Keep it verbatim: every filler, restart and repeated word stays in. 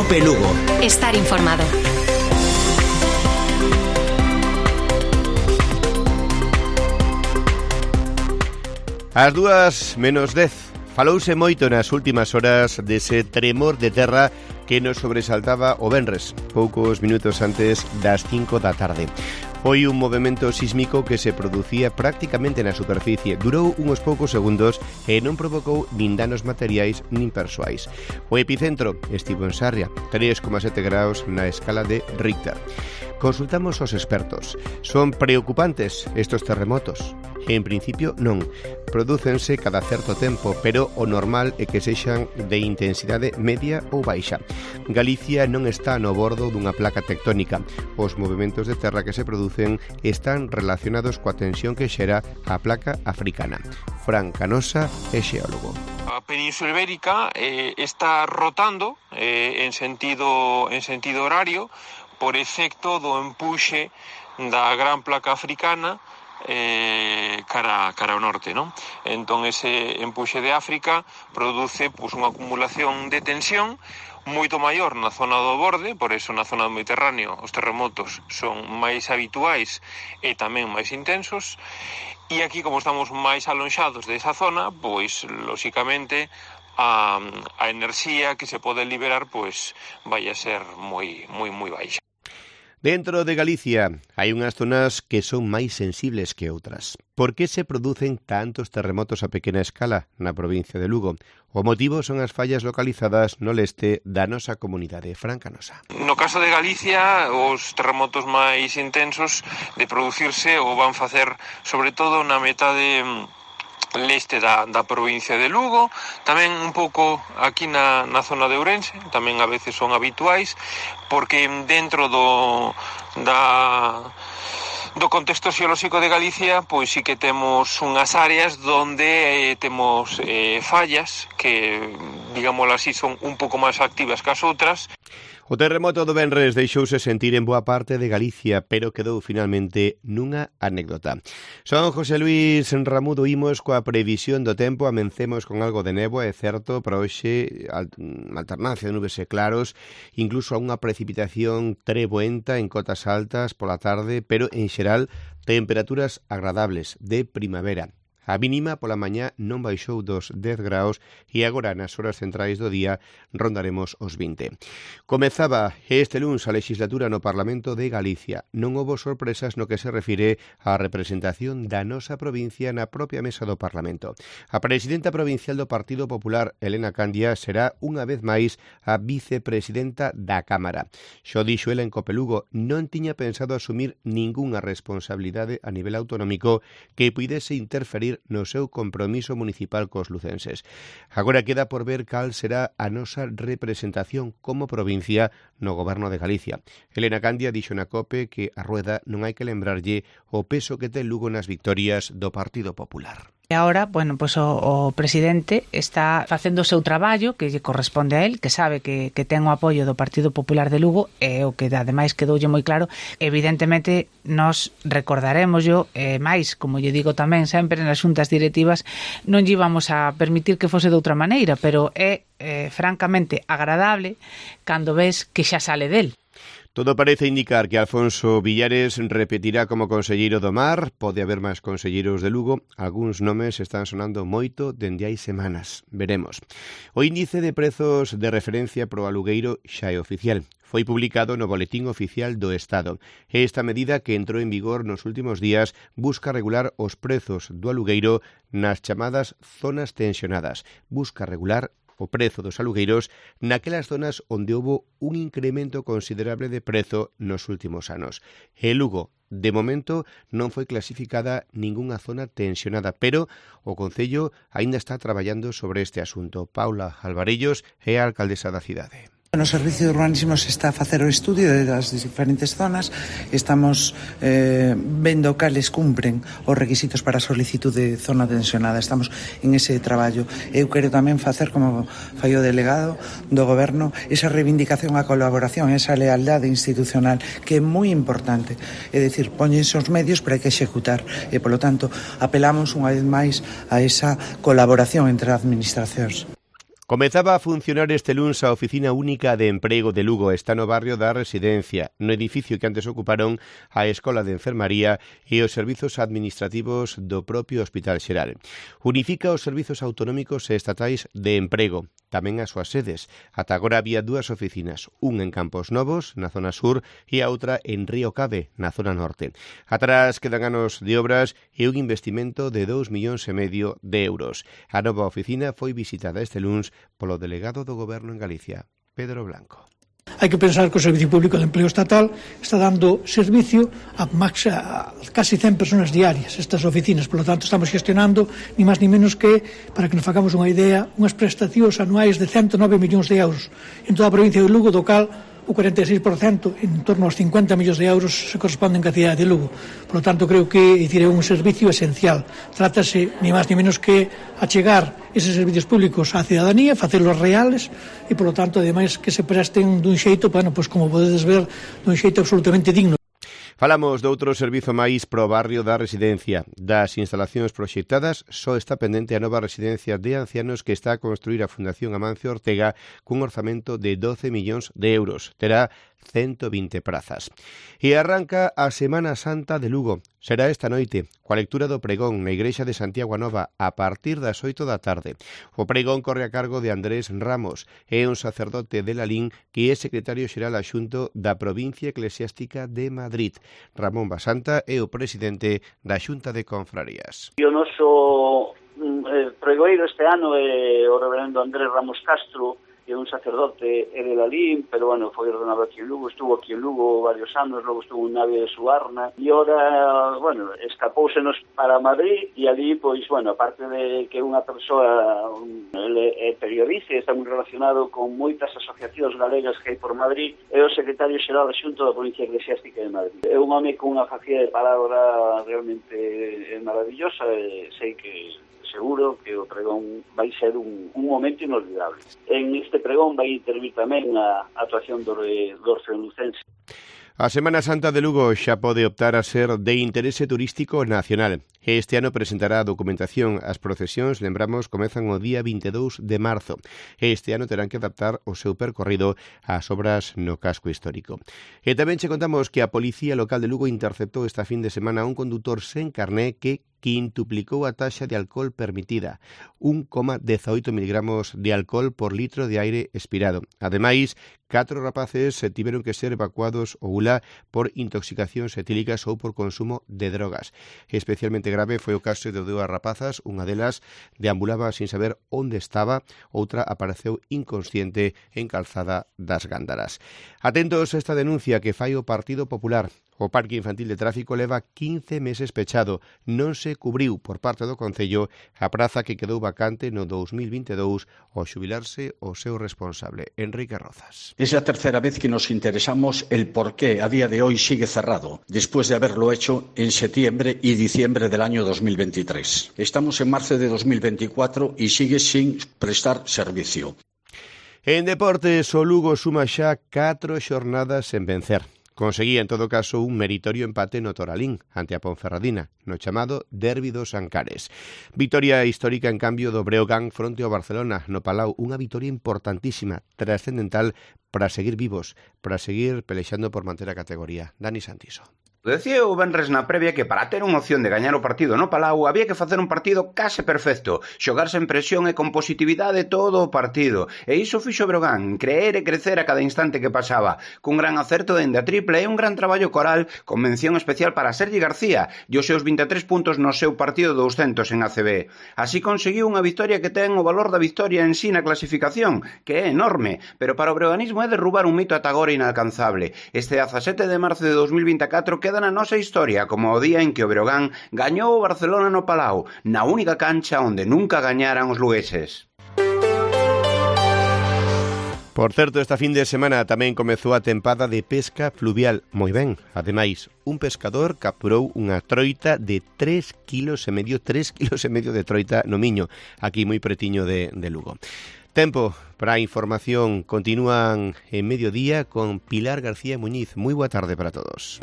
Cope Lugo. Estar informado. As dúas menos dez. Falouse moito nas últimas horas dese tremor de terra que nos sobresaltaba o venres, poucos minutos antes das cinco da tarde. Foi un movimento sísmico que se producía prácticamente na superficie. Durou uns poucos segundos e non provocou nin danos materiais nin persoais. O epicentro estivo en Sarria, tres coma sete graus na escala de Richter. Consultamos aos expertos. Son preocupantes estes terremotos? En principio non. Prodúcense cada certo tempo, pero o normal é que sexan de intensidade media ou baixa. Galicia non está no bordo dunha placa tectónica. Os movimentos de terra que se producen están relacionados coa tensión que xera a placa africana. Fran Canosa é xeólogo. A Península Ibérica eh, está rotando eh, en sentido en sentido horario por efecto do empuxe da gran placa africana eh, cara, cara ao norte, non? Entón ese empuxe de África produce pois, unha acumulación de tensión moito maior na zona do borde, por eso na zona do Mediterráneo os terremotos son máis habituais e tamén máis intensos, e aquí como estamos máis alonxados desa zona, pois lóxicamente a, a enerxía que se pode liberar pois vai a ser moi moi moi baixa. Dentro de Galicia hai unhas zonas que son máis sensibles que outras. Por que se producen tantos terremotos a pequena escala na provincia de Lugo? O motivo son as fallas localizadas no leste da nosa comunidade. Fran Canosa. No caso de Galicia, os terremotos máis intensos de producirse o van facer sobre todo na metade leste da, da provincia de Lugo, tamén un pouco aquí na, na zona de Ourense, tamén a veces son habituais, porque dentro do da do contexto xeolóxico de Galicia, pois sí que temos unhas áreas donde eh, temos eh, fallas que, digámoslo así, son un pouco máis activas que as outras. O terremoto do venres deixouse sentir en boa parte de Galicia, pero quedou finalmente nunha anécdota. Son José Luis Ramudo, imos coa previsión do tempo, amencemos con algo de néboa, é certo, para hoxe alternancia de nubes e claros, incluso a unha precipitación treboenta en cotas altas pola tarde, pero en xeral temperaturas agradables de primavera. A mínima pola mañá non baixou dos dez graus e agora nas horas centrais do día rondaremos os vinte. Comezaba este luns a legislatura no Parlamento de Galicia. Non houbo sorpresas no que se refire á representación da nosa provincia na propia mesa do Parlamento. A presidenta provincial do Partido Popular, Elena Candia, será unha vez máis a vicepresidenta da Cámara. Xo dixo ela en Cope Lugo, non tiña pensado asumir ningunha responsabilidade a nivel autonómico que puidese interferir no seu compromiso municipal cos lucenses. Agora queda por ver cal será a nosa representación como provincia no goberno de Galicia. Elena Candia dixo na COPE que a Rueda non hai que lembrarlle o peso que ten Lugo nas victorias do Partido Popular. E agora, bueno, pois o, o presidente está facendo o seu traballo que lle corresponde a él, que sabe que, que ten o apoio do Partido Popular de Lugo, e o que ademais quedoulle moi claro, evidentemente nos recordaremos yo, e máis, como lle digo tamén sempre nas xuntas directivas, non lle íbamos a permitir que fose de outra maneira, pero é eh, francamente agradable cando ves que xa sale del. Todo parece indicar que Alfonso Villares repetirá como conselleiro do Mar. Pode haber máis conselleiros de Lugo. Algúns nomes están sonando moito dende hai semanas. Veremos. O índice de prezos de referencia pro alugueiro xa é oficial. Foi publicado no Boletín Oficial do Estado. Esta medida, que entrou en vigor nos últimos días, busca regular os prezos do alugueiro nas chamadas zonas tensionadas. Busca regular o prezo dos alugueiros naquelas zonas onde houbo un incremento considerable de prezo nos últimos anos. E Lugo, de momento, non foi clasificada ningunha zona tensionada, pero o Concello aínda está traballando sobre este asunto. Paula Alvarellos é a alcaldesa da cidade. No Servicio de Urbanismo se está a facer o estudio das diferentes zonas. Estamos eh, vendo cales cumpren os requisitos para a solicitud de zona tensionada. Estamos en ese traballo. Eu quero tamén facer, como fai o delegado do Goberno, esa reivindicación á colaboración, esa lealdade institucional, que é moi importante. É dicir, póñense os medios para que executar. E, polo tanto, apelamos unha vez máis a esa colaboración entre as administracións. Comezaba a funcionar este luns a Oficina Única de Emprego de Lugo. Está no barrio da Residencia, no edificio que antes ocuparon a Escola de Enfermaría e os servizos administrativos do propio Hospital Xeral. Unifica os servizos autonómicos e estatais de emprego, tamén as súas sedes. Ata agora había dúas oficinas, un en Campos Novos, na zona sur, e a outra en Río Cabe, na zona norte. Atrás quedan anos de obras e un investimento de dous millóns e medio de euros. A nova oficina foi visitada este luns polo delegado do Goberno en Galicia, Pedro Blanco. Hai que pensar que o Servicio Público de Empleo Estatal está dando servicio a, max, a casi cen persoas diarias, estas oficinas. Por lo tanto, estamos gestionando, ni máis ni menos que, para que nos facamos unha idea, unhas prestacións anuais de ciento nove millóns de euros en toda a provincia de Lugo, do cal o cuarenta e seis por cento, en torno aos cincuenta millóns de euros, se corresponden ca cidade de Lugo. Por lo tanto, creo que dicir, é un servicio esencial. Trátase, ni máis ni menos que, achegar eses servicios públicos á cidadanía, facelos reales, e, por lo tanto, ademais, que se presten dun xeito, bueno, pues, como podedes ver, dun xeito absolutamente digno. Falamos de outro servizo máis pro barrio da Residencia. Das instalacións proxectadas, só está pendente a nova residencia de ancianos que está a construir a Fundación Amancio Ortega cun orzamento de doce millóns de euros. Terá ciento vinte prazas. E arranca a Semana Santa de Lugo. Será esta noite, coa lectura do pregón na Igrexa de Santiago a Nova a partir das oito da tarde. O pregón corre a cargo de Andrés Ramos, é un sacerdote de Lalín que é secretario xeral adxunto da Provincia Eclesiástica de Madrid. Ramón Basanta é o presidente da Xunta de Confrarías. O noso eh, pregoeiro este ano é o reverendo Andrés Ramos Castro, que é un sacerdote é de Lalín, pero bueno, foi ordenado aquí en Lugo, estuvo aquí en Lugo varios anos, logo estuvo en Navia de Suarna, e ora, bueno, escapóusenos para Madrid, e ali, pois, bueno, aparte de que unha persoa, ele é periodista e está moi relacionado con moitas asociacións galegas que hai por Madrid, é o secretario xeral adxunto da Provincia Eclesiástica de Madrid. É un home con unha facilidade de palabra realmente maravillosa, e sei que seguro que o pregón vai ser un, un momento inolvidable. En este pregón vai intervir tamén a actuación do, do Orfeonucense. A Semana Santa de Lugo xa pode optar a ser de interese turístico nacional. Este ano presentará a documentación. As procesións, lembramos, comezan o día vinte e dous de marzo. Este ano terán que adaptar o seu percorrido ás obras no casco histórico. E tamén che contamos que a Policía Local de Lugo interceptou esta fin de semana a un condutor sen carné que quintuplicou a taxa de alcohol permitida, un coma dezaoito miligramos de alcohol por litro de aire expirado. Ademais, catro rapaces tiveron que ser evacuados ou ulá por intoxicacións etílicas ou por consumo de drogas. Especialmente grave foi o caso de dúas rapazas, unha delas deambulaba sin saber onde estaba, outra apareceu inconsciente en Calzada das Gándaras. Atentos a esta denuncia que fai o Partido Popular. O Parque Infantil de Tráfico leva quince meses pechado. Non se cubriu por parte do Concello a praza que quedou vacante no dous mil vinte e dous ao xubilarse o seu responsable, Enrique Rozas. Es la tercera vez que nos interesamos el por qué a día de hoy sigue cerrado, después de haberlo hecho en septiembre y diciembre del año dos mil veintitrés. Estamos en marzo de dos mil veinticuatro y sigue sin prestar servicio. En deportes, o Lugo suma xa catro xornadas sen vencer. Conseguía, en todo caso, un meritorio empate no Toralín ante a Ponferradina, no chamado Derbi dos Ancares. Vitoria histórica, en cambio, do Breogán fronte ao Barcelona no Palau. Unha vitoria importantísima, trascendental para seguir vivos, para seguir pelexando por manter a categoría. Dani Santiso. Decía o venres na previa que para ter unha opción de gañar o partido no Palau había que facer un partido case perfecto, xogar sen presión e con positividade todo o partido. E iso fixo Breogán, creer e crecer a cada instante que pasaba, cun gran acerto dende a tripla e un gran traballo coral con mención especial para Sergi García e os seus vinte e tres puntos no seu partido douscentos en A C B. Así conseguiu unha victoria que ten o valor da victoria en sí na clasificación, que é enorme, pero para o breoganismo é derrubar un mito ata agora inalcanzable. Este dezasete de marzo de dos mil vinte e catro queda na nosa historia como o día en que o Breogán gañou o Barcelona no Palau, na única cancha onde nunca gañaran os lugueses. Por certo, esta fin de semana tamén comezou a tempada de pesca fluvial. Moi ben, ademais, un pescador capturou unha troita de tres kilos e medio, tres kilos e medio de troita no Miño, aquí moi pretiño de, de Lugo. Tempo para a información. Continúan en mediodía con Pilar García Muñiz. Moi boa tarde para todos.